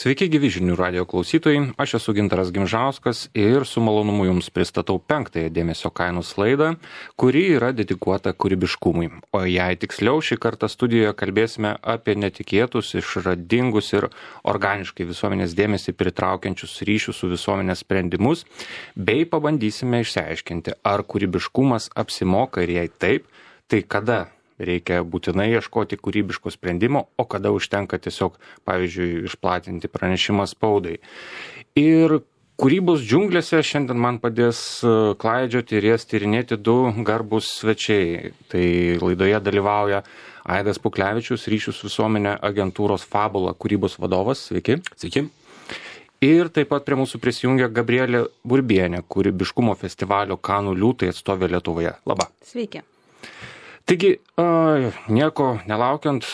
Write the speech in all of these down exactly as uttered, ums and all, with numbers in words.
Sveiki gyvi žinių radio klausytojai, aš esu Gintaras Gimžauskas ir su malonumu jums pristatau penktąją dėmesio kainos laidą, kuri yra dedikuota kūrybiškumui. O jei tiksliau, šį kartą studijoje kalbėsime apie netikėtus, išradingus ir organiškai visuomenės dėmesį pritraukiančius ryšius su visuomenės sprendimus, bei pabandysime išsiaiškinti, ar kūrybiškumas apsimoka ir jei taip, tai kada reikia būtinai ieškoti kūrybiško sprendimo, o kada užtenka tiesiog, pavyzdžiui, išplatinti pranešimą spaudai. Ir kūrybos džiunglėse šiandien man padės klaidžioti ir jas tyrinėti du garbus svečiai. Tai laidoje dalyvauja Aidas Puklevičius, ryšių su visuomenė agentūros Fabula kūrybos vadovas. Sveiki. Sveiki. Ir taip pat prie mūsų prisijungia Gabrielė Burbienė, kūrybiškumo festivalio Kanų liūtai atstovė Lietuvoje. Labą. Sveiki. Taigi, nieko nelaukiant,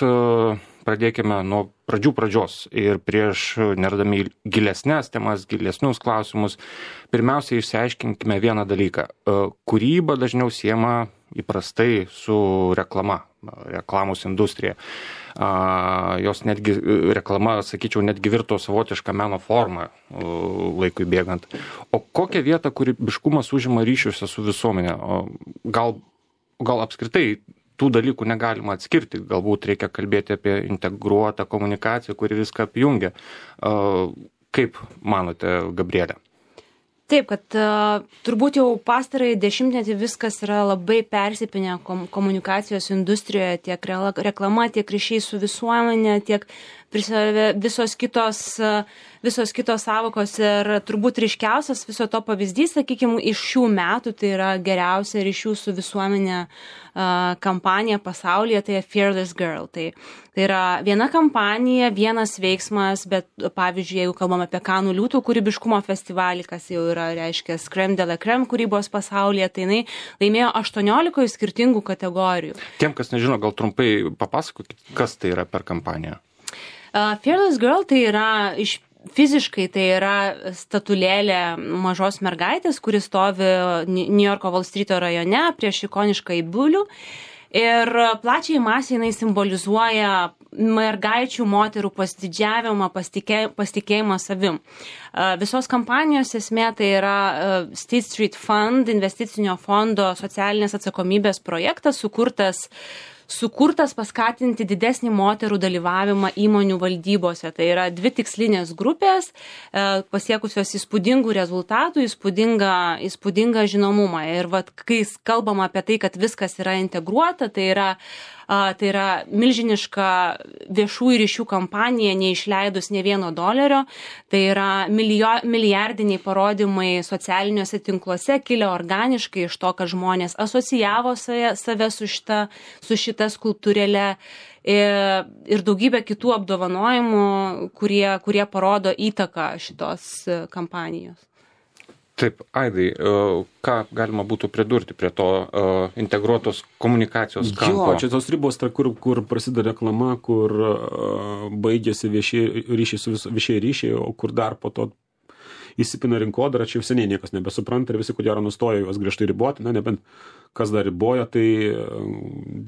pradėkime nuo pradžių pradžios ir prieš nerdami gilesnės temas, gilesnius klausimus, pirmiausia išsiaiškinkime vieną dalyką. Kūryba dažniau siejama įprastai su reklama, reklamos industrija. Jos netgi, reklama, sakyčiau, netgi virto savotišką meno formą laikui bėgant. O kokią vietą kūrybiškumas užima ryšiuose su visuomenė? Gal Gal apskritai tų dalykų negalima atskirti, galbūt reikia kalbėti apie integruotą komunikaciją, kuri viską apjungia. Kaip manote, Gabrielė? Taip, kad uh, turbūt jau pastarąjį dešimtmetį viskas yra labai persipinę kom komunikacijos industrijoje, tiek reklama, tiek ryšiai su visuomenė, tiek visos kitos, visos kitos savokos ir turbūt ryškiausias viso to pavyzdys, sakykime, iš šių metų, tai yra geriausia ryšių su visuomenė kampanija pasaulyje, tai Fearless Girl. Tai, tai yra viena kampanija, vienas veiksmas, bet pavyzdžiui, jeigu kalbam apie Kanų liūtų kūrybiškumo festivalį, kas jau yra, reiškia, Crème de la Crème kūrybos pasaulyje, tai jinai laimėjo aštuoniolikoje skirtingų kategorijų. Tiem, kas nežino, gal trumpai papasakokit, kas tai yra per kampaniją? Uh, Fearless Girl tai yra iš fiziškai tai yra statulėlė mažos mergaitės, kuri stovi Niujorko Valstryto rajone prieš ikonišką bulių. Ir plačiai masiai jinai simbolizuoja mergaičių, moterų pasididžiavimą, pasitikėjimą savim. Uh, visos kampanijos esmė tai yra uh, State Street Fund, investicinio fondo socialinės atsakomybės projektas, sukurtas sukurtas paskatinti didesnį moterų dalyvavimą įmonių valdybose. Tai yra dvi tikslinės grupės, pasiekusios įspūdingų rezultatų, įspūdingą, įspūdingą žinomumą. Ir vat, kai kalbama apie tai, kad viskas yra integruota, tai yra, tai yra milžiniška viešųjų ryšių kampanija, neišleidus ne vieno dolerio. Tai yra milijo, milijardiniai parodymai socialiniuose tinkluose, kilę organiškai iš to, kad žmonės asocijavo save, save su šita, su šita skulptūrėle ir, ir daugybė kitų apdovanojimų, kurie, kurie parodo įtaką šitos kampanijos. Taip, Aidai, ką galima būtų pridurti prie to uh, integruotos komunikacijos kampo? Jo, čia tos ribos, ta, kur, kur prasideda reklama, kur uh, baigėsi viešieji ryšiai su vis, viešieji ryšiai, o kur dar po to įsipina rinkodara, čia jau seniai niekas nebesupranta ir visi, ko gero, nustoja juos griežtai riboti, na, nebent kas dar riboja, tai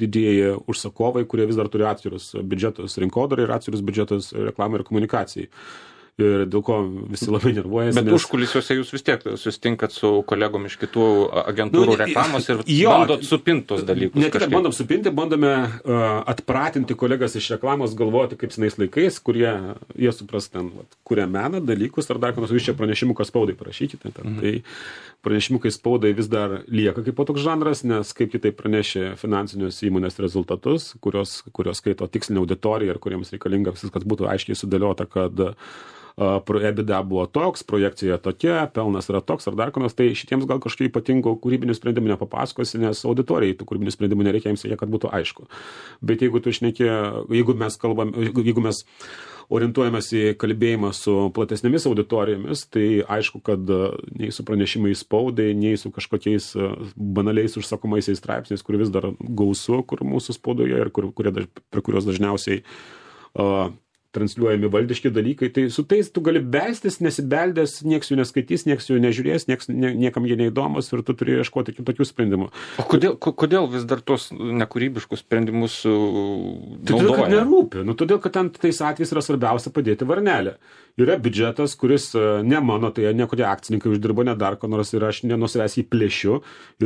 didieji užsakovai, kurie vis dar turi atskirus biudžetus rinkodarai ir atskirus biudžetus reklamai ir komunikacijai. Ir dėl ko visi labai nervuojasi. Bet nes... užkulisiuose jūs vis tiek susitinkat su kolegom iš kitų agentūrų nu, reklamos ir jo, bandot supinti tos dalykus. Ne tik bandom supinti, bandome uh, atpratinti kolegas iš reklamos galvoti kaip senais laikais, kurie jie supras ten, vat, kuria meną, dalykus ar dar ką nors, jūs čia pranešimų, kas spaudai parašykite. Ten. Mhm. Tai pranešimų, kai spaudai vis dar lieka kaip toks žanras, nes kaip kitaip pranešė finansinius įmonės rezultatus, kurios, kurios skaito tikslinę auditoriją ir kuriems reikalinga viskas būtų aiškiai sudėliota, kad Uh, EBITDA buvo toks, projekcija tokia, pelnas yra toks ar dar konas, tai šitiems gal kažkokių ypatingų kūrybinių sprendimų nepapasakosi, nes auditorijai tų kūrybinių sprendimų nereikia, jiems reikia, kad būtų aišku. Bet jeigu tu šneki, jeigu mes kalbam, jeigu mes orientuojamės į kalbėjimą su platesnėmis auditorijomis, tai aišku, kad nei su pranešimais spaudai, nei su kažkokiais banaliais užsakomaisiais straipsniais, kur vis dar gausu, kur mūsų spaudoje ir kur, kurie, prie kurios dažniausiai uh, transliuojami valdiški dalykai, tai su tais tu gali belstis, nesibeldęs, nieks jų neskaitys, nieks jų nežiūrės, nieks, nie, niekam jie neįdomus ir tu turi ieškoti kitokių sprendimų. O kodėl, kodėl vis dar tos nekūrybiškus sprendimus naudoja? Todėl, kad nerūpi. Nu, todėl, kad ten tais atvejais yra svarbiausia padėti varnelę. Yra biudžetas, kuris ne mano, tai ne kurie akcininkai uždirbo, ne dar ko nors ir aš nenusivęs jį plėšiu.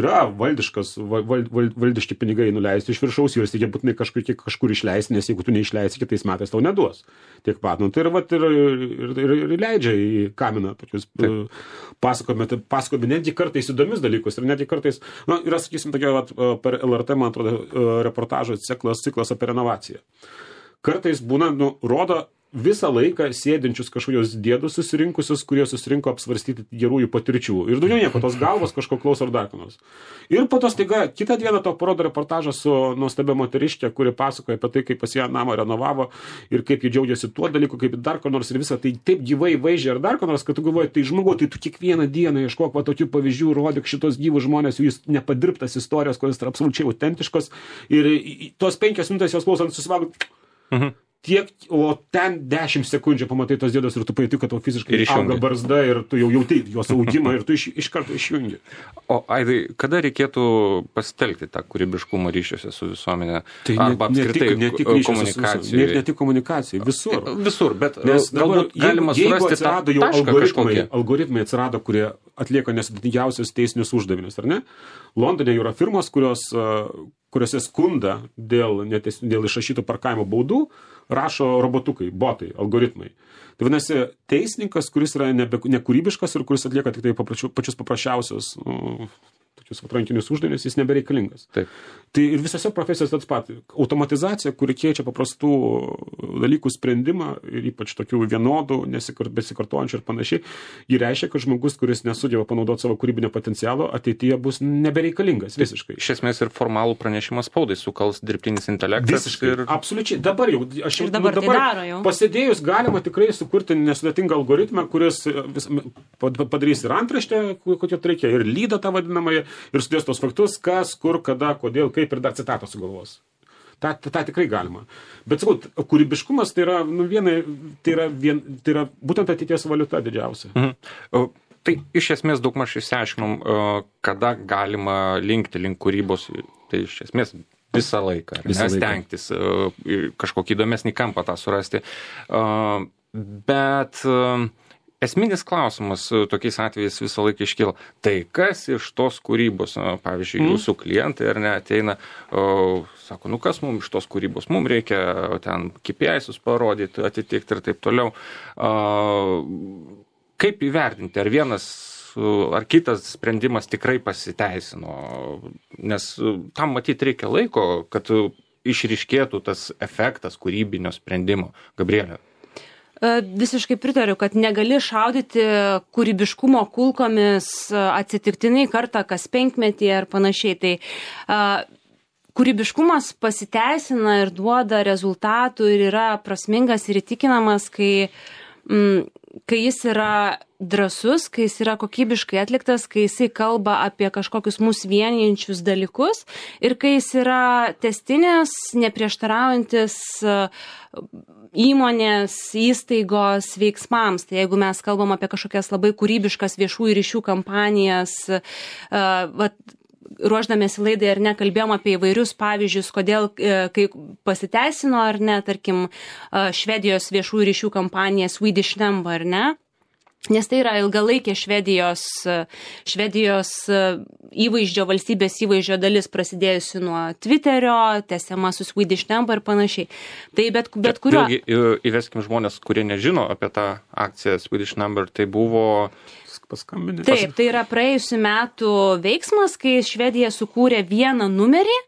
Yra valdiškas, val, val, valdiški pinigai nuleisti iš viršaus, juos reikia būtinai kažkur, kažkur išleisti, nes jeigu tu neišleisi kitais metais, tau neduos. Tiek pat, nu, tai ir, vat, ir, ir, ir, ir leidžia į kaminą tokius pasakojami, pasakojami netgi kartais įdomius dalykus ir netgi kartais, nu, yra, sakysim, tokia, vat, per L R T, man atrodo, reportažo ciklas, ciklas apie renovaciją. Kartais būna, nu, rodo visą laiką sėdinčius kažkokios dėdus susirinkusius, kurie susirinko apsvarstyti gerųjų patirčių. Ir daugiau nieko, tos galvos kažko klauso ar dar ką nors. Ir po to staiga kitą dieną to parodo reportažą su nuostabia moteriškė, kuri pasakoja apie tai, kaip pas ją namą renovavo ir kaip jie džiaugiasi tuo dalyku, kaip dar ko nors ir visą tai taip gyvai vaizdžiai ar dar ko nors, kad tu galvoji, tai žmogau, tai tu kiekvieną dieną ieškok va tokių pavyzdžių, rodyk šitos gyvus žmonės, jų nepadirbtas istorijos, kurios yra absoliučiai autentiškos ir tos penkias minutės jos klausant susivalgo. Mhm. Tiek, o ten dešimt sekundžių pamatai tos dėdos ir tu pajauti, kad tau fiziškai auga barzda ir tu jau jautai jos augimą ir tu iš, iš karto išjungi. O Aidai, kada reikėtų pasitelkti tą kūrybiškumą ryšiuose su visuomenė? Tai arba ne, apskritai ne tik komunikacijai? Ne, ne tik komunikacijai, visur. Visur, bet nes galbūt dabar, galima jeigu, surasti jeigu atsirado tą jau tašką algoritmai, kažkokį. algoritmai atsirado, kurie atlieka nesudėtingiausius teisinius uždavinius, ar ne? Londone yra firmos, kurios, kuriuose skunda dėl, netes, dėl išrašytų parkavimo baudų, rašo robotukai, botai, algoritmai. Tai vadinasi, teisininkas, kuris yra nebe, nekūrybiškas ir kuris atlieka tik tai papračiu, pačius paprasčiausius nu, tokius atrankinius uždavinius, jis nebereikalingas. Taip. Tai ir visose profesijose tas pat. Automatizacija, kuri keičia paprastų dalykų sprendimą ir ypač tokių vienodų, besikartojančių ir panašiai, jį reiškia, kad žmogus, kuris nesugeba panaudoti savo kūrybinio potencialo, ateityje bus nebereikalingas visiškai. Iš esmės ir formalų pranešimą spaudai sukals dirbtinis intelektas. Visiškai. Ir... Absoliučiai. Dabar jau, aš jau dabar, nu, dabar tai daro jau. Pasėdėjus galima tikrai sukurti nesudėtingą algoritmą, kuris vis, padarys ir antraštę, kokią reikia, ir lydą tą vadinamąją, ir sudės tos faktus, kas, kur, kada, kodėl, kaip ir dar citatą sugalvos. Ta, ta, ta tikrai galima. Bet sakau, kūrybiškumas tai yra, nu, vienai, tai yra, vien, tai yra būtent ateities valiuta didžiausia. Mhm. Tai iš esmės daugmaž išsiaiškinom, kada galima linkti link kūrybos, tai iš esmės visą laiką, visą laiką. Stengtis kažkokį įdomesnį kampą tą surasti. Bet esminis klausimas tokiais atvejais visą laiką iškyla. Tai kas iš tos kūrybos, pavyzdžiui, mm. jūsų klientai ar ne ateina, o, sako, nu kas mums iš tos kūrybos, mums reikia ten K P I-sus parodyti, atitikti ir taip toliau. A, kaip įvertinti, ar vienas ar kitas sprendimas tikrai pasiteisino, nes tam matyti reikia laiko, kad išryškėtų tas efektas kūrybinio sprendimo. Gabrielė. Visiškai pritariu, kad negali šaudyti kūrybiškumo kulkomis atsitiktinai kartą kas penkmetį ar panašiai. Tai uh, kūrybiškumas pasiteisina ir duoda rezultatų ir yra prasmingas ir įtikinamas, kai, mm, kai jis yra drąsus, kai jis yra kokybiškai atliktas, kai jisai kalba apie kažkokius mus vienijančius dalykus ir kai jis yra tęstinis, neprieštaraujantis įmonės, įstaigos veiksmams. Tai jeigu mes kalbam apie kažkokias labai kūrybiškas viešųjų ryšių kampanijas, vat, ruoždamėsi laidai ar ne, kalbėjom apie įvairius pavyzdžius, kodėl, kai pasiteisino ar ne, tarkim, Švedijos viešųjų ryšių kampanija Swedish Number, ar ne? Nes tai yra ilgalaikė Švedijos, Švedijos įvaizdžio, valstybės įvaizdžio dalis prasidėjusi nuo Twitterio, tęsiama su Swedish Number ir panašiai. Tai bet, bet kuriuo... Vėlgi įveskim žmonės, kurie nežino apie tą akciją Swedish Number, tai buvo... Paskambinė. Taip, tai yra praėjusių metų veiksmas, kai Švedija sukūrė vieną numerį,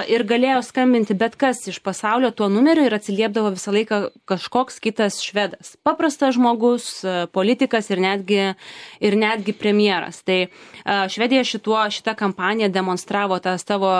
ir galėjo skambinti bet kas iš pasaulio tuo numeriu ir atsiliepdavo visą laiką kažkoks kitas švedas. Paprastas žmogus, politikas ir netgi, ir netgi premjeras. Tai Švedija šituo, šitą kampaniją demonstravo tą savo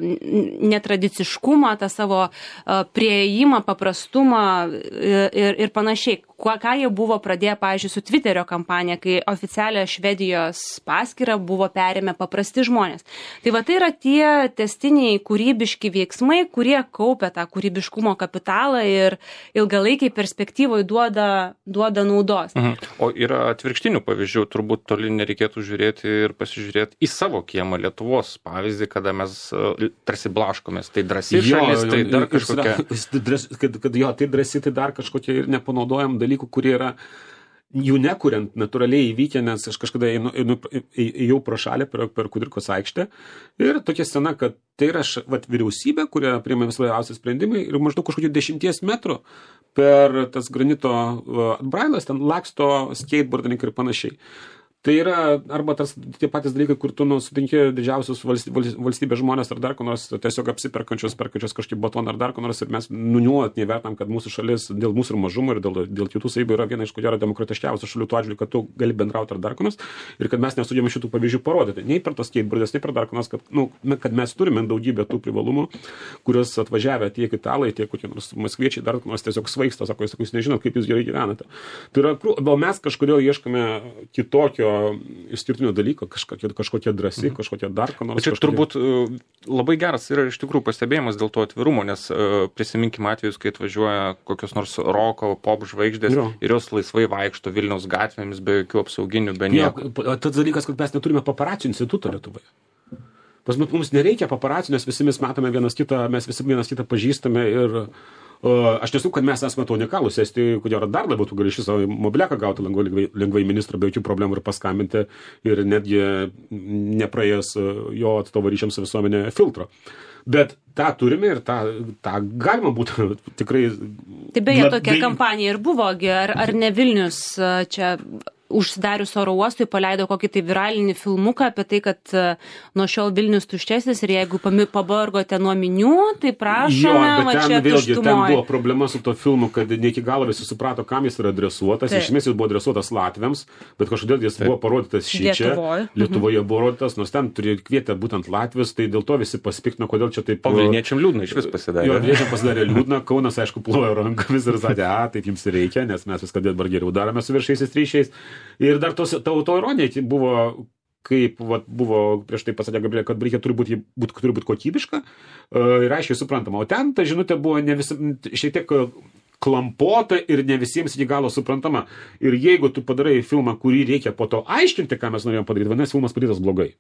netradiciškumą, tą savo prieėjimą, paprastumą ir, ir panašiai. kuo, ką jie buvo pradėję, pavyzdžiui, su Twitterio kampanija, kai oficialią Švedijos paskyrą buvo perėmę paprasti žmonės. Tai va tai yra tie tęstiniai kūrybiški veiksmai, kurie kaupia tą kūrybiškumo kapitalą ir ilgalaikiai perspektyvoje duoda, duoda naudos. Mhm. O yra atvirkštinių pavyzdžių, turbūt toli nereikėtų žiūrėti ir pasižiūrėti į savo kiemą Lietuvos pavyzdį, kada mes tarsi blaškomės. Tai drąsi šalis, tai dar kažkokia. Kad, kad jo, tai drąsi, tai dar kažkokie ir nepanaudojam dalykų, kurie yra jų nekuriant, natūraliai įvykę, nes aš kažkada einu, einu, ėjau pro šalį per, per Kudirkos aikštę ir tokia scena, kad tai yra vat, vyriausybė, kurie priima vis svarbiausi sprendimai ir maždaug kažkokių dešimties metrų per tas granito atbrailas, ten laksto skateboardininkai ir panašiai. Tai yra arba tas, tie patys dalykai, kur tu nu, sutinki didžiausius valstybės, valstybės žmonės ar dar ko nors tiesiog apsiperkančios, perkančios kažkaip batoną ar dar ko nors ir mes nunuolat nevertam, kad mūsų šalis dėl mūsų ir mažumo ir dėl, dėl kitų savybių yra viena iš ko gero demokratiškiausių šalių tuo atžvilgiu, kad tu gali bendrauti ar dar ko nors ir kad mes nesugebame šitų pavyzdžių parodyti. Nei per tos skateboardės, nei per dar ko nors, kad, nu, kad mes turime daugybę tų privalumų, kuriuos atvažiavę tiek italai, tiek kokie nors maskviečiai dar ko nors tiesiog svaigsta, sako, jūs nežinot, kaip jūs gerai gyvenate. Tai yra, gal mes kažkodėl ieškome kitokio išskirtinio dalyko, kažkokie, kažkokie drąsi, mhm. kažkokie dar ko nors. Čia kažkokie... turbūt labai geras yra iš tikrųjų pastebėjimas dėl to atvirumo, nes uh, prisiminkime atvejus, kai atvažiuoja kokios nors roko, pop žvaigždės jo. Ir jos laisvai vaikšto Vilniaus gatvėmis be jokių apsauginių, be nieko. Jo, tas dalykas, kad mes neturime paparacių instituto Lietuvoje. Pas mums nereikia paparacių, nes visi mes matome vienas kitą, mes visi vienas kitą pažįstame ir Uh, aš nesu, kad mes esame to unikalūs, esti, kodėl dar labiau tu gali šį savo mobiliaką gauti lengvai, lengvai, lengvai ministrą be jokių problemų ir paskambinti ir netgi nepraėjęs jo atstovo ryšiams su visuomenė filtro. Bet tą turime ir tą, tą galima būtų tikrai... Tai beje, tokia kampanija ir buvo, ar, ar ne Vilnius čia... užsidarius oro uostui paleido kokį tai viralinį filmuką apie tai, kad nuo šiol Vilnius tuščesnis ir jeigu pabargote nuo minių, tai prašome, jo, va čia vėlgi, tuštumoje. Ten buvo problema su to filmu, kad ne iki galo visi suprato, kam jis yra adresuotas. Iš esmės jis buvo adresuotas latviams, bet kažkodėl jis Taip. Buvo parodytas šičia. Lietuvoje. Lietuvoje buvo parodytas, nors ten turėjo kvietę būtent latvius, tai dėl to visi pasipiktino, kodėl čia taip... O Vilniečiam liūdna iš vis pasidarė. Jo, Vilniečiam pasidarė liūdna, Kaunas, aišku, plojo rankomis ir sakė, a, taip jums reikia, nes mes viską dabar geriau darome su viršaisiais ryšiais. Ir dar tos ta autoironija buvo, kaip vat, buvo prieš tai pasakė Gabrielė, kad reikia turi būti, būt, turi būti kokybiška ir aiškiai suprantama. O ten ta žinutė buvo ne visi, šiek tiek klampota ir ne visiems iki galo suprantama. Ir jeigu tu padarai filmą, kurį reikia po to aiškinti, ką mes norėjom padaryti, vadinasi, filmas padarytas blogai.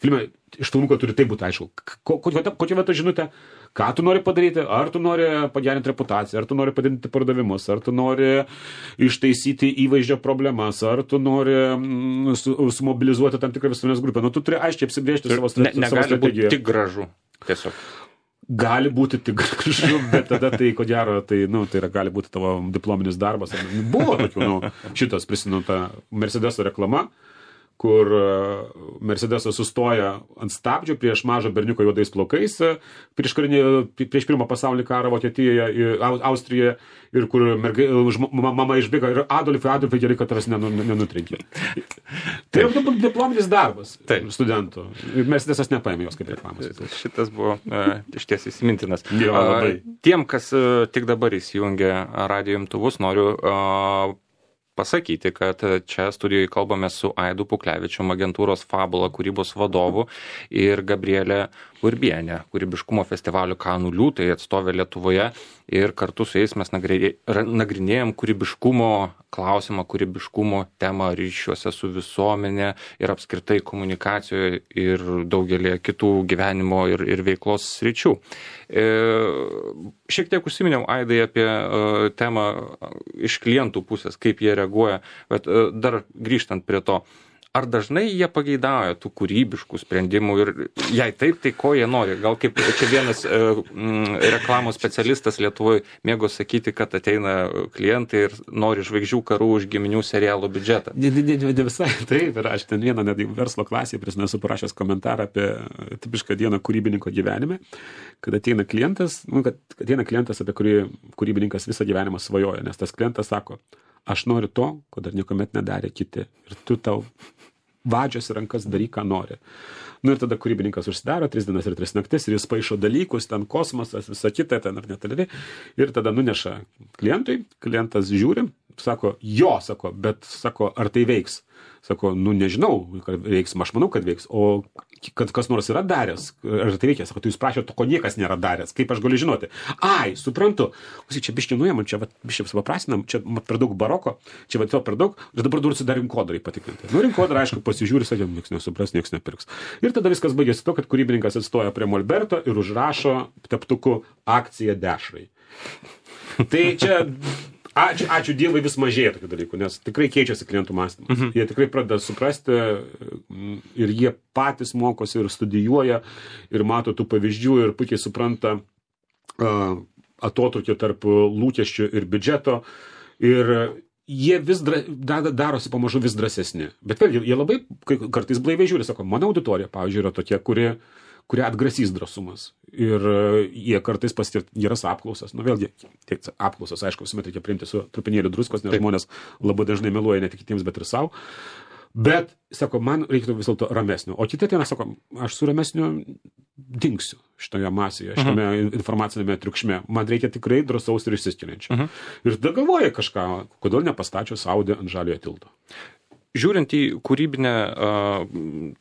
Filme iš filmuko turi taip būti aišku. Kokia va ta žinutė? Ką tu nori padaryti? Ar tu nori pagerinti reputaciją, ar tu nori padidinti pardavimus, ar tu nori ištaisyti įvaizdžio problemas, ar tu nori mm, su, sumobilizuoti tam tikrą visuomenės grupę. Nu, tu turi aiškiai apsibrėžti savo strategiją. Ne, negali būti tik gražu, tiesiog. Gali būti tik gražu, bet tada tai, ko gero, tai, nu, tai yra, gali būti tavo diplominis darbas. Buvo tokių, nu, šitas prisimenu tą Mercedeso reklama, kur Mercedesas sustoja ant stabdžių prieš mažą berniuką juodais plaukais prieš, karinį, prieš pirmą pasaulinį karą Vokietijoje, Austrijoje ir kur mergai, mama išbėga ir Adolfai, Adolfai, gerai, kad tavęs nenutrenkė. Tai yra diplominis darbas Taip. Studentų. Mercedesas nepaėmė jos kaip reklamos. Šitas buvo uh, iš ties įsimintinas. Jo, labai. Uh, tiem, kas uh, tik dabar įsijungia radijo imtuvus, noriu uh, pasakyti, kad čia studijoje kalbame su Aidu Puklevičium, agentūros Fabula kūrybos vadovu ir Gabrielė Urbienė, kūrybiškumo festivalio Kanų liūtai atstovė Lietuvoje ir kartu su jais mes nagrinėjom kūrybiškumo klausimą, kūrybiškumo temą ryšiuose su visuomenė ir apskritai komunikacijoje ir daugelį kitų gyvenimo ir, ir veiklos sričių. E, šiek tiek užsiminiau, Aidai, apie uh, temą iš klientų pusės, kaip jie reaguoja, bet uh, dar grįžtant prie to, ar dažnai jie pageidauja tų kūrybiškų sprendimų ir jei taip, tai ko jie nori? Gal kaip čia vienas uh, mm, reklamos specialistas Lietuvoje mėgo sakyti, kad ateina klientai ir nori žvaigždžių karų už giminių serialo biudžetą. Ne, ne, ne, ne visai taip, ir aš ten vieną net verslo klasėje prisimenu esu parašęs komentarą apie tipišką dieną kūrybininko gyvenime, kad ateina klientas, nu, kad ateina klientas, apie kurį kūrybininkas visą gyvenimą svajoja, nes tas klientas sako, aš noriu to, ko dar niekuomet nedarė kiti. Ir tu tau vadžiasi rankas, daryk, ką nori. Nu ir tada kūrybininkas užsidaro, tris dienas ir tris naktis, ir jis paišo dalykus, ten kosmosas, visa kita, ten ar netaleriai. Ir tada nuneša klientui, klientas žiūri, Sako, jo, sako, bet, sako, ar tai veiks? Sako, nu nežinau, kad veiks, aš manau, kad veiks, o kad kas nors yra daręs, ar tai veikia, sako, tu jūs prašėte to, ko niekas nėra daręs, kaip aš galiu žinoti? Ai, suprantu, čia biškiai nuėjom, čia biškiai supaprastinam, čia per daug baroko, čia va to per daug, ir dabar dursi dar rinkodarai patikrinti. Nu, rinkodarai, aišku, pasižiūri, sakė, nieks nesupras, nieks nepirks. Ir tada viskas baigėsi to, kad kūrybininkas atstoja prie Molberto ir užrašo teptuku akciją dešrai. Tai čia... Ačiū, ačiū Dievui vis mažėja tokių dalykų, nes tikrai keičiasi klientų mąstymas. Mhm. Jie tikrai pradeda suprasti ir jie patys mokosi ir studijuoja ir mato tų pavyzdžių ir puikiai supranta uh, atotrukį tarp lūkesčių ir biudžeto. Ir jie vis dra, darosi pamažu vis drąsesni. Bet vėlgi, jie labai kartais blaiviai žiūri, sako, mano auditorija, pavyzdžiui, yra tokia, kuri kurie atgrasys drąsumas. Ir jie kartais pasitirt geras apklausas. Nu vėlgi, tiek apklausas, aišku, visuomet reikia priimti su trupinėliu druskos, nes Taip. Žmonės labai dažnai meluoja ne tik kitiems, bet ir savo. Bet, sako, man reikėtų vis dėlto ramesnio. O kitą dieną, sako, aš su ramesniu dingsiu šitoje masėje, šitame uh-huh. informacinėme triukšme. Man reikia tikrai drąsaus ir išsiskiriančio. Uh-huh. Ir tada galvoja kažką, kodėl nepastačius Audi ant žaliojo tilto. Žiūrint į kūrybinę uh,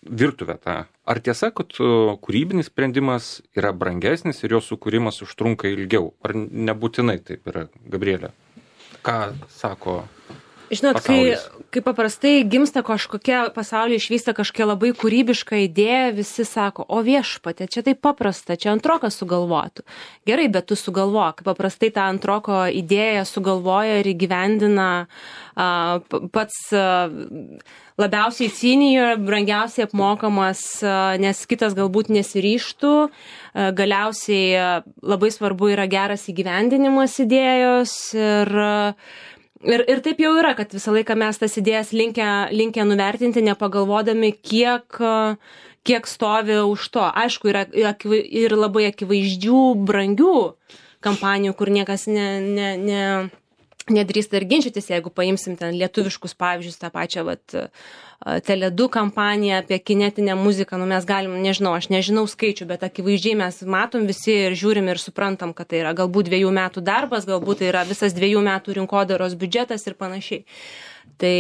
virtuvę tą, ar tiesa, kad uh, kūrybinis sprendimas yra brangesnis ir jo sukūrimas užtrunka ilgiau? Ar nebūtinai taip yra, Gabrielė? Ką sako Žinot, kai, kai paprastai gimsta kažkokia pasaulyje išvysta kažkokia labai kūrybiška idėja, visi sako, o viešpatė, čia taip paprasta, čia antrokas sugalvotų. Gerai, bet tu sugalvok. Paprastai tą antroko idėją sugalvoja ir įgyvendina a, pats a, labiausiai senior, brangiausiai apmokamas, a, nes kitas galbūt nesiryštų. A, galiausiai a, labai svarbu yra geras įgyvendinimas idėjos ir a, Ir, ir taip jau yra, kad visą laiką mes tas idėjas linkę, linkę nuvertinti, nepagalvodami, kiek, kiek stovi už to. Aišku, yra ir labai akivaizdžių, brangių kampanijų, kur niekas ne, ne, ne, nedrįsta ir ginčytis, jeigu paimsim ten lietuviškus pavyzdžius, tą pačią vat, Tele du kampaniją apie kinetinę muziką, nu mes galim, nežinau, aš nežinau skaičių, bet akivaizdžiai mes matom visi ir žiūrim ir suprantam, kad tai yra galbūt dviejų metų darbas, galbūt tai yra visas dviejų metų rinkodaros biudžetas ir panašiai. Tai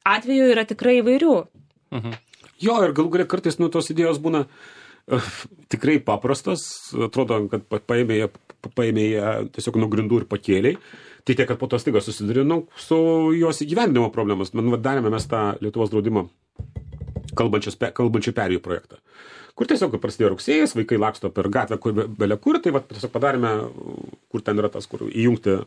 atveju yra tikrai įvairių. Mhm. Jo, ir galų galia kartais nu tos idėjos būna uh, tikrai paprastos, atrodo, kad paėmė jie, paėmė jie tiesiog nuo grindų ir pakėliai. Tai tiek, kad po to staiga susidurinu su jos įgyvendinimo problemas. Man darėme mes tą Lietuvos draudimo kalbančių perėjų projektą, kur tiesiog prasidėjo rugsėjas, vaikai laksto per gatvę, kur belia kur, tai va, tiesiog padarėme, kur ten yra tas, kur įjungti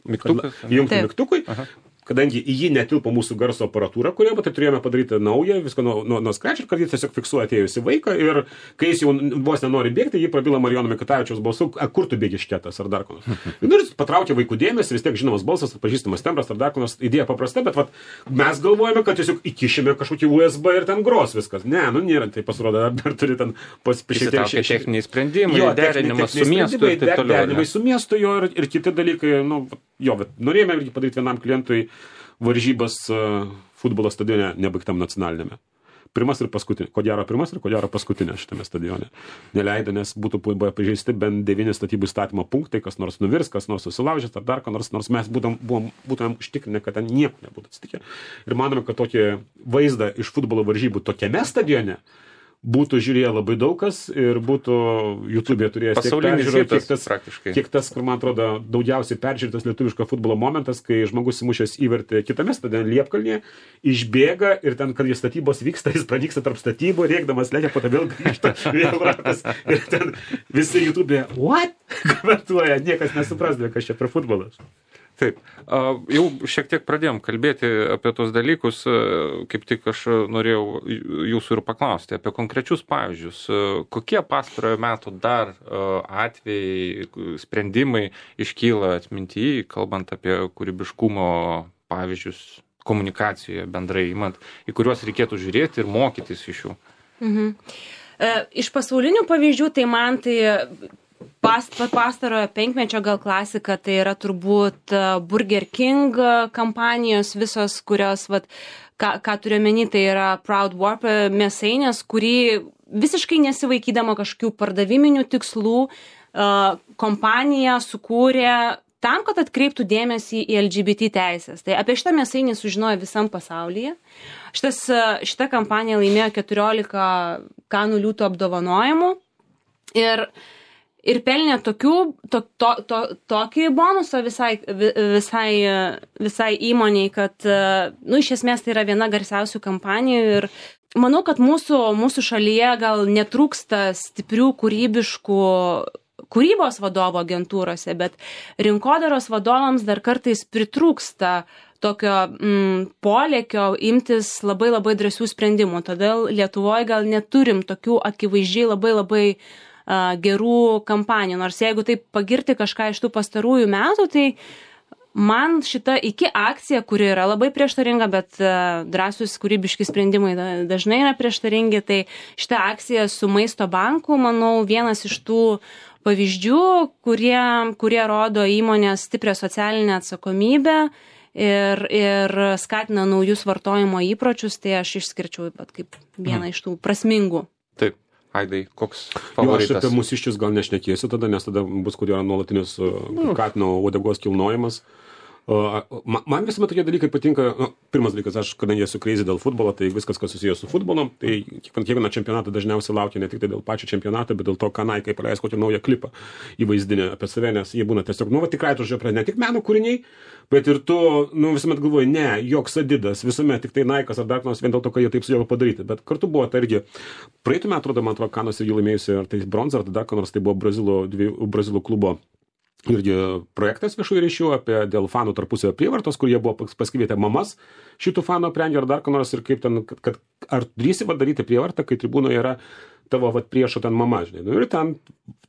mygtukas, įjungti mygtukui. Aha. Kadangi į jį netilpo mūsų garso aparatūra, kurioje, tai turėjome padaryti naują, viską nuo, nuo, nuo scratch, ir kad jis tiesiog fiksuoja atėjusi vaiką ir kai jis jau vos nenori bėgti, jį prabila Marijono Mikutavičiaus balsu, kur tu bėgi šketas ar dar ko nors. Ir patraukė vaikų dėmesį, vis tiek žinomas balsas, pažįstamas tembras ar dar ko nors, idėja paprasta, bet vat, mes galvojame, kad tiesiog įkišime kažkokį U S B ir ten gros viskas. Ne, nu nėra, tai pasirodo, dar, dar turi ten pasipriešinti techniniai sprendimai, jo, derinimas su miestu ir taip toliau. Derinimai su miestu jo ir, ir kiti dalykai, nu, jo, bet norėjome irgi padaryti vienam klientui varžybas uh, futbolo stadione nebaigtam nacionalinėme. Pirmas ir paskutinė. Ko gero pirmas ir ko gero paskutinė šitame stadione. Neleido, nes būtų pažeisti bent devyni statybų įstatymo punktai, kas nors nuvirs, kas nors susilaužęs ar dar ko nors, nors mes būtum, buvom, būtumėm užtikrinę, kad ten nieko nebūtų atsitikę. Ir manome, kad tokį vaizdą iš futbolo varžybų tokiame stadione būtų žiūrėję labai daug kas ir būtų YouTube'e turėjęs tiek peržiūrų, tiek tas, tiek tas, kur man atrodo daugiausiai peržiūrėtas lietuviško futbolo momentas, kai žmogus įmušęs įvertė kitame stadione Liepkalnyje, išbėga ir ten, kad jis statybos vyksta, jis pradyksta tarp statybų, rėkdamas lekia, po to vėl grįžta, vėl ratas. Ir ten visi YouTube'e, what? Komentuoja, niekas nesuprasdė, kas čia per futbolas. Taip, jau šiek tiek pradėjom kalbėti apie tos dalykus, kaip tik aš norėjau jūsų ir paklausti apie konkrečius pavyzdžius. Kokie pastarojo metų dar atvejai, sprendimai iškyla atmintyje, kalbant apie kūrybiškumo pavyzdžius komunikacijoje bendrai imant, į kuriuos reikėtų žiūrėti ir mokytis iš jų? Mhm. Iš pasaulinių pavyzdžių, tai man tai Past, pastarojo penkmečio gal klasika, tai yra turbūt Burger King kampanijos visos, kurios, vat, ką, ką turiu omeny, tai yra Proud Warp mėsainės, kurį visiškai nesivaikydama kažkokių pardaviminių tikslų, kompanija sukūrė tam, kad atkreiptų dėmesį į L G B T teisės. Tai apie šitą mėsainį sužinojo visam pasaulyje. Šitas, šita kampanija laimėjo keturiolika Kanų liūtų apdovanojimų ir, ir pelnė tokių, to, to, to, tokį bonusą visai, visai, visai įmoniai, kad, nu, iš esmės tai yra viena garsiausių kampanijų ir manau, kad mūsų, mūsų šalyje gal netrūksta stiprių kūrybiškų kūrybos vadovo agentūrose, bet rinkodaros vadovams dar kartais pritrūksta tokio mm, polėkio imtis labai labai drąsių sprendimų. Todėl Lietuvoje gal neturim tokių akivaizdžiai labai labai uh, gerų kampanijų. Nors jeigu taip pagirti kažką iš tų pastarųjų metų, tai man šita iki akcija, kuri yra labai prieštaringa, bet uh, drąsus kūrybiški sprendimai dažnai yra prieštaringi, tai šita akcija su Maisto banku, manau, vienas iš tų pavyzdžių, kurie, kurie rodo įmonės stiprią socialinę atsakomybę ir, ir skatina naujus vartojimo įpročius, tai aš išskirčiau bet kaip vieną hmm. iš tų prasmingų. Taip. Aidai, koks favoritas? Jo, aš apie mūsiščius gal nešnekėsiu tada, nes tada bus, kodėl yra nuolatinis uh, katino uodegos kilnojimas. Uh, man visuomet tokie dalykai patinka. Nu, pirmas dalykas, aš kadangi esu crazy dėl futbolo, tai viskas, kas susijęs su futbolu, tai kiekvieną čempionatą dažniausiai laukia ne tik tai dėl pačio čempionato, bet dėl to, ką Nike paleis kokį naują klipą įvaizdinę apie save, nes jie būna tiesiog, nu, va, tikrai tu žiūrė, ne tik meno kūriniai, bet ir tu, nu, visuomet galvoji, ne, joks Adidas, visuomet tik tai Nike'as ar dar nors vien dėl to, kad jie taip sugeba padaryti. Bet kartu buvo tai irgi, praeitų metų, atrodo, man atrodo, Kanuose jį laimėjusi, ar tai bronzą, ar dar nors tai buvo Brazilo, dviejų, Brazilo klubo irgi projektas viešųjų ryšių apie dėl fanų tarpusavio prievartos, kur jie buvo pasikvietę mamas šitų fanų aprengę ar dar ką nors ir kaip ten, kad, kad ar drįsi daryti prievartą, kai tribūnoje yra tavo vat, priešo ten mama, žinai. Nu, ir ten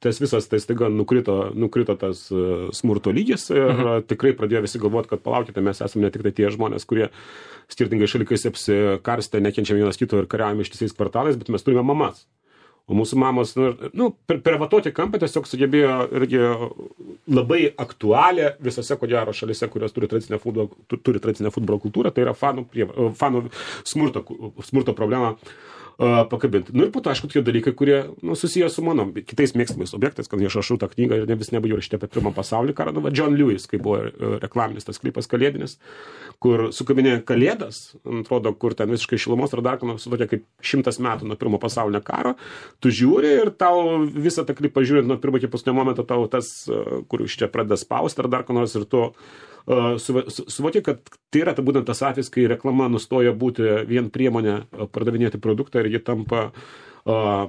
tas visas, tai staiga nukrito, nukrito tas uh, smurto lygis ir mhm. tikrai pradėjo visi galvoti, kad palaukite, mes esame ne tik tai tie žmonės, kurie skirtingai šalikais apsikarstę, nekenčiam vienas kito ir kariaujame ištisais kvartalais, bet mes turime mamas. O mūsų mamos, nu, nu per, per vatoti kampą tiesiog sugebėjo irgi labai aktualią visose, ko gero, šalise, kurios turi tradicinę futbolo, turi tradicinę futbolo kultūrą, tai yra fanų, prie, fanų smurto, smurto problemą uh, pakabinti. Nu ir po to, aišku, tokie dalykai, kurie nu, susiję su mano kitais mėgstamais objektais, kad aš rašau tą knygą ir ne vis nebaigiau rašyti apie pirmą pasaulį karą. Nu, va, John Lewis, kai buvo reklaminis tas klipas kalėdinis, kur sukabinė kalėdas, atrodo, kur ten visiškai šilumos ar dar, su tokia kaip šimtas metų nuo pirmo pasaulinio karo, tu žiūri ir tau visą tą klipą žiūrint nuo pirmo iki paskutinio momento, tau tas, kur iš čia pradeda spausti ar dar ko nors ir tu uh, suvoki, kad tai yra ta, būtent tas atvejis, kai reklama nustoja būti vien priemonė pardavinėti produktą ir ji tampa uh,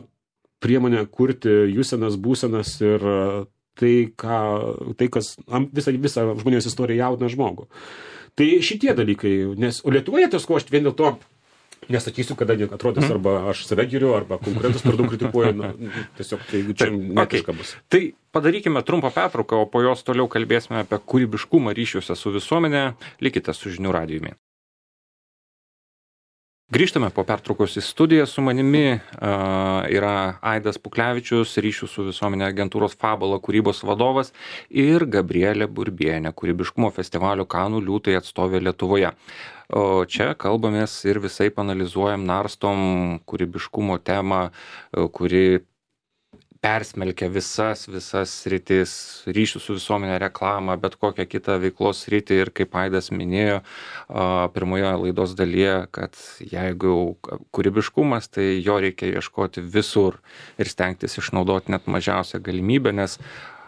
priemonė kurti jūsenas, būsenas ir uh, tai, ką, tai, kas visą, visą žmonijos istoriją jaudina žmogų. Tai šitie dalykai, nes, o Lietuvoje tas ko aš vien dėl to nesakysiu, kada atrodys, arba aš save giriu, arba konkurentus per daug kritikuoju, na, tiesiog tai čia netiška bus. Tai padarykime trumpą pertrauką, o po jos toliau kalbėsime apie kūrybiškumą ryšiuose su visuomenė. Likite su Žinių radijumi. Grįžtame po pertraukos į studiją. Su manimi uh, yra Aidas Puklevičius, ryšių su visuomenė agentūros Fabula kūrybos vadovas ir Gabrielė Burbienė, kūrybiškumo festivalio Kanų liūtai atstovė Lietuvoje. O čia kalbamės ir visai analizuojam, narstom kūrybiškumo temą, kuri persmelkia visas, visas sritis, ryšių su visuomenė, reklamą, bet kokią kitą veiklos sritį ir kaip Aidas minėjo pirmoje laidos dalyje, kad jeigu kūrybiškumas, tai jo reikia ieškoti visur ir stengtis išnaudoti net mažiausią galimybę, nes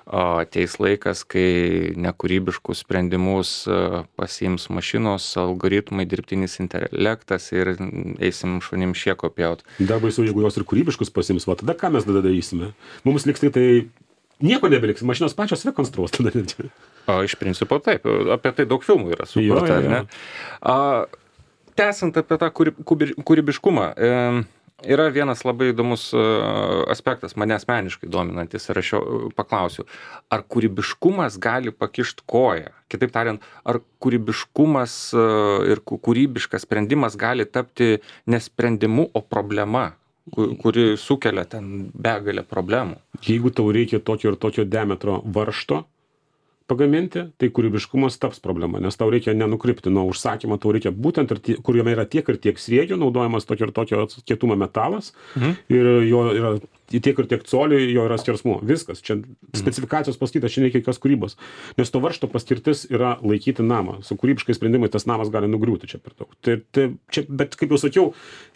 ateis laikas, kai nekūrybiškus sprendimus pasiims mašinos, algoritmai, dirbtinis intelektas ir eisim šunim šieko pjaut. Dar baisu, jeigu jos ir kūrybiškus pasiims, va tada ką mes tada darysime? Mums liks tai, tai nieko nebeliks, mašinos pačios rekonstruos tada. O, iš principo taip, apie tai daug filmų yra sukurta, ar ne? A, tęsiant apie tą kūrybiškumą, e, yra vienas labai įdomus aspektas, mane asmeniškai dominantis, ir aš jo paklausiu, ar kūrybiškumas gali pakišti koją? Kitaip tariant, ar kūrybiškumas ir kūrybiškas sprendimas gali tapti nesprendimu, o problema, kuri sukelia ten begalę problemų? Jeigu tau reikia tokio ir tokio diametro varžto, pagaminti, tai kūrybiškumas taps problema, nes tau reikia nenukrypti nuo užsakymo, tau reikia būtent, ir tie, kur jame yra tiek ir tiek sriegio, naudojamas tokio ir tokio kietumo metalas, mhm. ir jo yra tiek ir tiek colių, jo yra skersmuo. Viskas. Čia specifikacijos pasakyta, čia nereikia jokios kūrybos. Nes to varžto paskirtis yra laikyti namą. Su kūrybiškai sprendimai tas namas gali nugriūti čia per daug. Tai, tai, čia, bet kaip jau sakiau,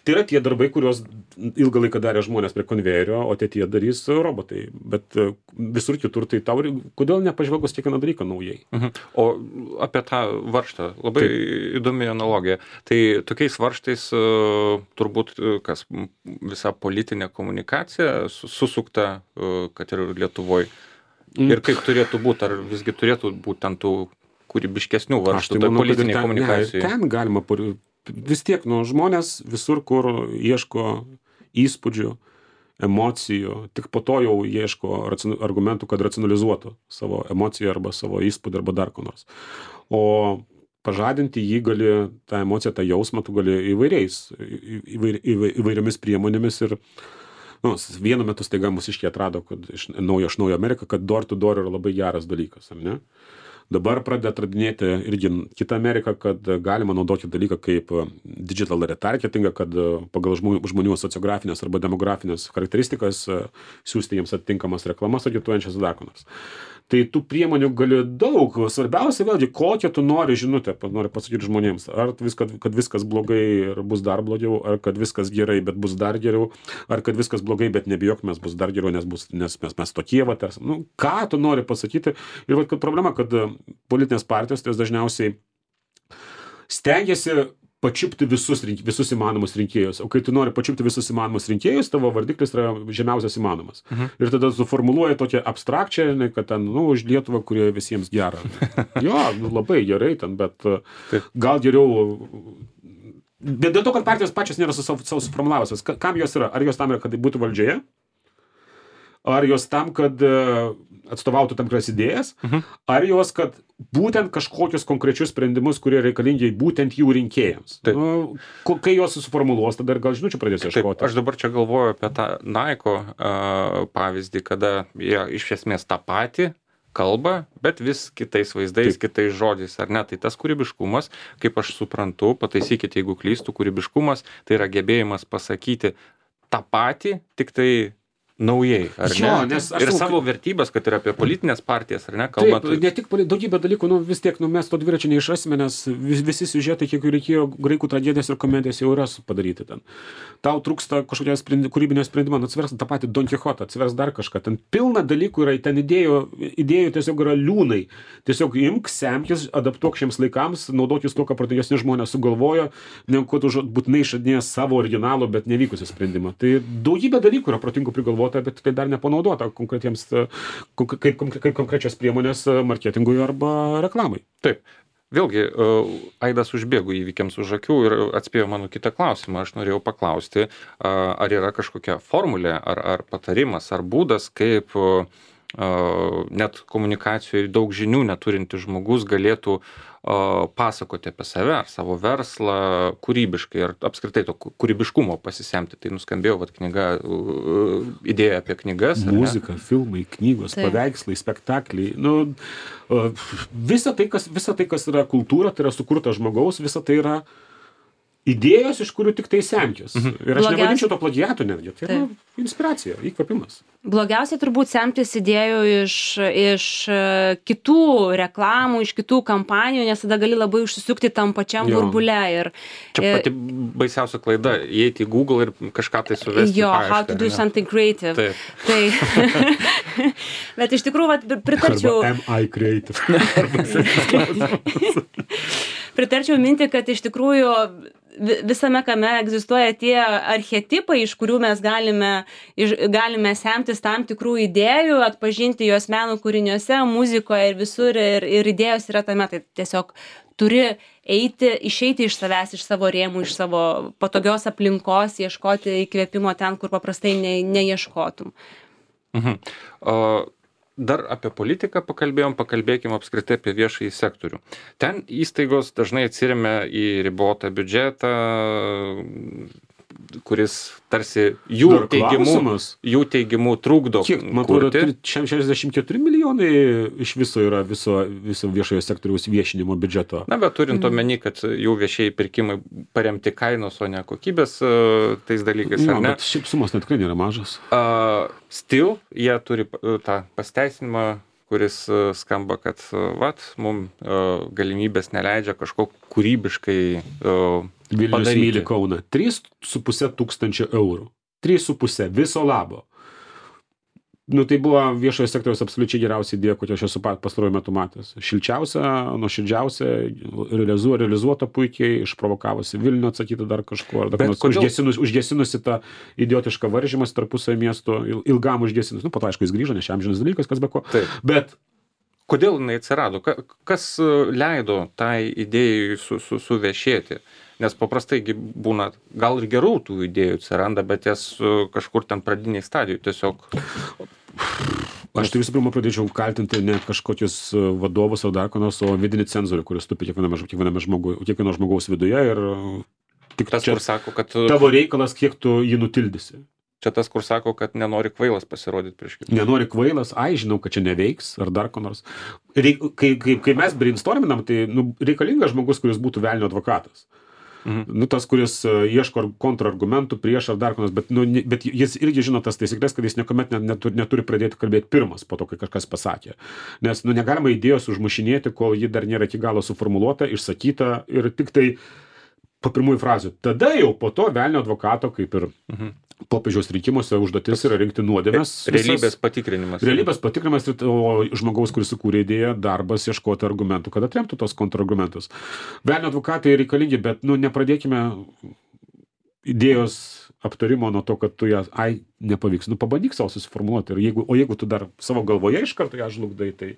tai yra tie darbai, kuriuos ilgą laiką darė žmonės prie konvejerio, o ateityje darys robotai. Bet visur kitur tai tau, kodėl nepažvelgus kiekvieną dalyką naujai? Mhm. O apie tą varžtą, labai Taip. įdomi analogija. Tai tokiais varžtais turbūt kas visa politinė komunikacija susukta, kad ir Lietuvoje. Ir kaip turėtų būti, ar visgi turėtų būti ten tų kūrybiškesnių varžtų, tai politinė komunikacija. Ne, ten galima, vis tiek, nu, žmonės visur, kur ieško įspūdžių, emocijų, tik po to jau ieško argumentų, kad racionalizuotų savo emociją arba savo įspūdį arba dar ko nors. O pažadinti jį gali, tą emociją, tą jausmą, tu gali įvairiais, įvair, įvair, įvairiomis priemonėmis ir nu, vienu metu staiga mūsiškiai atrado, kad iš naujo, iš naujo Ameriką, kad door to door yra labai geras dalykas, ar ne? Dabar pradeda atradinėti irgi kitą Ameriką, kad galima naudoti dalyką kaip digital retargetingą, kad pagal žmonių, žmonių sociografinės arba demografinės charakteristikas siūsti jiems atitinkamas reklamas agituojančias dar ko nors. Tai tų priemonių gali daug. Svarbiausia vėlgi, kokią tu nori žinutę, nori pasakyti žmonėms. Ar viskas, kad viskas blogai ir bus dar blogiau, ar kad viskas gerai, bet bus dar geriau, ar kad viskas blogai, bet nebijok, mes bus dar geriau, nes, bus, nes mes, mes tokie, va, tarsi. Nu, ką tu nori pasakyti? Ir va, kad problema, kad politinės partijos tai dažniausiai stengiasi pačiupti visus, visus įmanomus rinkėjus. O kai tu nori pačiupti visus įmanomus rinkėjus, tavo vardiklis yra žemiausias įmanomas. Mhm. Ir tada suformuluoja tokią abstrakčią, kad ten, nu, už Lietuvą, kurie visiems gera. Jo, nu, labai gerai ten, bet Taip. gal geriau... Bet dėl to, kad partijos pačios nėra savo suformulavusios. Kam jos yra? Ar jos tam yra, kad būtų valdžioje? Ar jos tam, kad atstovautų tam tikras idėjas? Mhm. Ar jos, kad būtent kažkokius konkrečius sprendimus, kurie reikalingi būtent jų rinkėjams. Nu, kai jos suformuluos, tada ir gal žinučių pradės ieškoti. Taip, aš dabar čia galvoju apie tą Nike uh, pavyzdį, kada jie iš esmės tą patį kalba, bet vis kitais vaizdais, Taip. kitais žodžiais, ar ne? Tai tas kūrybiškumas, kaip aš suprantu, pataisykite, jeigu klystų, kūrybiškumas, tai yra gebėjimas pasakyti tą patį, tik tai naujai, ar jo, ne? Nes ir savo kaip... vertybės, kad ir apie politinės partijas, ar ne? Kalbant... Taip, ne tik daugybė dalykų, nu vis tiek, nu mes to dviračio neišrasime, nes vis, visi siužetai, kiek reikėjo graikų tragedijos ir komedijos jau yra padaryti ten. Tau trūksta kažkokio sprendi, kūrybinio sprendimo, nu atsiversk tą patį Don Quixotą, atsiversk dar kažką. Ten pilna dalykų yra, ten idėjų, idėjų tiesiog yra liūnai. Tiesiog imk, semkis, adaptuok šiems laikams, naudokis to, ką protingesni žmonės sugalvojo, negu kad būtinai išradinės savo originalo, bet nevykusį sprendimą. Tai daugybė dalykų yra protingų prigalvota, bet tai dar nepanaudota konkretiems, kaip, kaip konkrečios priemonės marketingui arba reklamai. Taip. Vėlgi, Aidas užbėgo įvykiams už akių ir atspėjo mano kitą klausimą. Aš norėjau paklausti, ar yra kažkokia formulė, ar, ar patarimas, ar būdas, kaip net komunikacijoje daug žinių neturintis žmogus galėtų pasakoti apie save, ar savo verslą kūrybiškai, ar apskritai to kūrybiškumo pasisemti. Tai nuskambėjo vat, knyga, idėja apie knygas. Muzika, filmai, knygos, tai. paveikslai, spektakliai. Nu, visa tai, kas, visa tai, kas yra kultūra, tai yra sukurta žmogaus, visa tai yra idėjos, iš kurių tik tai semkis. Mhm. Ir aš Blogiausia... nevadinčiau to plagiatų netgi. Tai yra inspiracija, įkvėpimas. Blogiausia turbūt semtis idėjų iš, iš kitų reklamų, iš kitų kampanijų, nes tada gali labai užsisukti tam pačiam jo. burbule. Ir, Čia ir, pati baisiausia klaida, įeiti į Google ir kažką tai suvesti. Jo, paiešką, how to do ne? something creative. Taip. Tai, bet iš tikrųjų, vat, pritarčiau... Arba am I creative? Pritarčiau minti, kad iš tikrųjų visame kame egzistuoja tie archetipai, iš kurių mes galime, iš, galime semtis tam tikrų idėjų, atpažinti juos meno kūriniuose, muzikoje ir visur, ir, ir idėjos yra tame. Tai tiesiog turi eiti, išeiti iš savęs, iš savo rėmų, iš savo patogios aplinkos, ieškoti įkvėpimo ten, kur paprastai ne, neieškotum. Mhm. O... Dar apie politiką pakalbėjom, pakalbėkime apskritai apie viešąjį sektorių. Ten įstaigos dažnai atsiremia į ribotą biudžetą, kuris tarsi jų Dar teigimu, klausimas. jų teigimu trukdo Kiek, man atrodo, kurti. šešiasdešimt keturi milijonai iš viso yra viso, viso viešojo sektoriaus viešinimo biudžeto. Na, bet turint omeny, kad jų viešieji pirkimai paremti kainos, o ne kokybės uh, tais dalykais, No, ar ne? bet šiaip sumos net tikrai nėra mažas. Uh, still, jie turi uh, tą pasteisinimą, kuris uh, skamba, kad uh, vat, mums uh, galimybės neleidžia kažko kūrybiškai uh, Vilnius padaryti. myli Kauną. trys su puse tūkstančio eurų. trys su puse viso labo. Nu, tai buvo viešojo sektoriaus absoliučiai geriausia idėja, kokią aš esu pastaruoju metu matęs. Šilčiausia, nuoširdžiausia, realizuo, realizuota puikiai, išprovokavusi Vilnių atsakyti dar kažko, ar dar nors kodėl- užgesinus, užgesinusi tą idiotišką varžymas tarpusavio miesto, il- ilgam užgesinus. Nu, po to, aišku, jis grįžo, nes čia amžinas dalykas, kas be ko. Taip. Bet Kodėl jinai atsirado? Ka- Kas uh, leido tai idėjai su, su, suvešėti? Nes paprastai gi būna, gal ir gerų tų idėjų atsiranda, bet jas uh, kažkur ten pradiniai stadijų tiesiog. aš tai visų pirma pradėčiau kaltinti ne kažkokius e, vadovus ar dar ko nors, o vidinį cenzorių, kuris tupi kiekviename, ž- kiekviename žmogu, kiekvieno žmogaus viduje ir e, tik Tas, čia kur sako, kad uh, tavo reikalas, kiek tu jį nutildysi. čia tas, kur sako, kad nenori kvailas pasirodyti prieš kitą. Nenori kvailas, ai, žinau, kad čia neveiks, ar dar ko nors. Reik, kai, kai, kai mes brainstorminam, tai nu, reikalingas žmogus, kuris būtų velnio advokatas. Mhm. Nu, tas, kuris e, ieško ar- kontrargumentų prieš ar dar ko nors, bet, nu, ne- bet jis irgi žino tas taisyklės, kad jis niekuomet net, neturi, neturi pradėti kalbėti pirmas po to, kai kažkas pasakė. Nes nu, negalima idėjos užmušinėti, kol ji dar nėra iki galo suformuluota, išsakyta ir tik tai po pirmųjų frazių. Tada jau po to velnio advokato, kaip ir Mhm. popiežiaus rinkimuose, užduotis yra rinkti nuodėmes. Realybės patikrinimas. Realybės patikrinimas, ir- o žmogaus, kuris sukūrė idėją, darbas ieškoti argumentų, kad atremtų tos kontrargumentus. Velnio advokatai reikalingi, bet nu, nepradėkime idėjos aptarimo nuo to, kad tu ją, ai, nepavyks. Nu, pabandyk savo susiformuoti. Ir jeigu, o jeigu tu dar savo galvoje iš karto ją žlugdai, tai...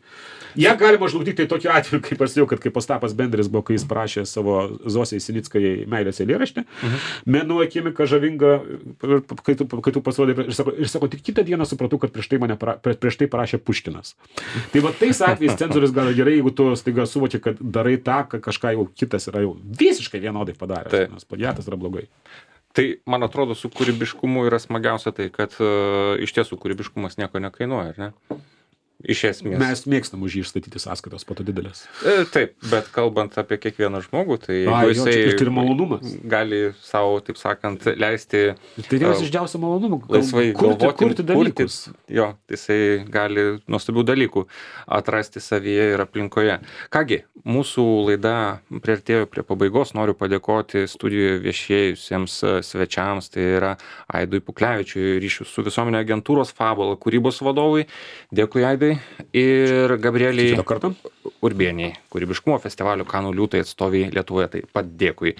Ją galima žlugdyti tai tokiu atveju, kaip aš jau, kad kaip Ostapas Bendris buvo, kai jis parašė savo Zosijai Sinickai meilės eilėraštį. Mhm. Mėnuo akimika žavinga, kai tu, kai tu pasirodai, ir sako, ir sako, tik kitą dieną supratau, kad prieš tai, mane, para- prie- prieš tai parašė Puškinas. Tai va tais atvejais cenzorius gal gerai, jeigu tu staiga suvoki, kad darai tą, kad kažką jau kitas yra jau visiškai vienodai padaręs. Taip. Nes plagiatas yra blogai. Tai, man atrodo, su kūrybiškumu yra smagiausia tai, kad uh, iš tiesų kūrybiškumas nieko nekainuoja, ar ne? Iš esmės. Mes mėgstam už jį išstatyti sąskaitos, po to didelės. E, Taip, bet kalbant apie kiekvieną žmogų, tai A, jeigu jo, čia ir tai ir malonumas. gali savo, taip sakant, leisti Tai vienas a, iš didžiausių malonumų. gal- laisvai kurti, galvoti, kurti dalykus. jo, tai jisai gali nuostabių dalykų atrasti savyje ir aplinkoje. Kągi, mūsų laida priartėjo prie pabaigos, noriu padėkoti studijoje viešėjusiems e, svečiams, tai yra Aidui Puklevičiui, ryšių su visuomenė agentūros Fabula kūrybos vadovui. Dėkui, Aidai. Ir Gabrieliai Kito karto. Urbieniai, kūrybiškumo festivalio Kanų liūtai atstoviai Lietuvoje. Taip pat dėkui.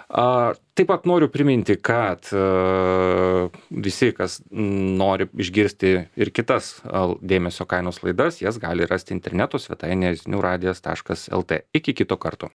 A, Taip pat noriu priminti, kad a, visi, kas nori išgirsti ir kitas a, dėmesio kainos laidas, jas gali rasti interneto svetainėje zinių radijas taškas lt. Iki kito karto.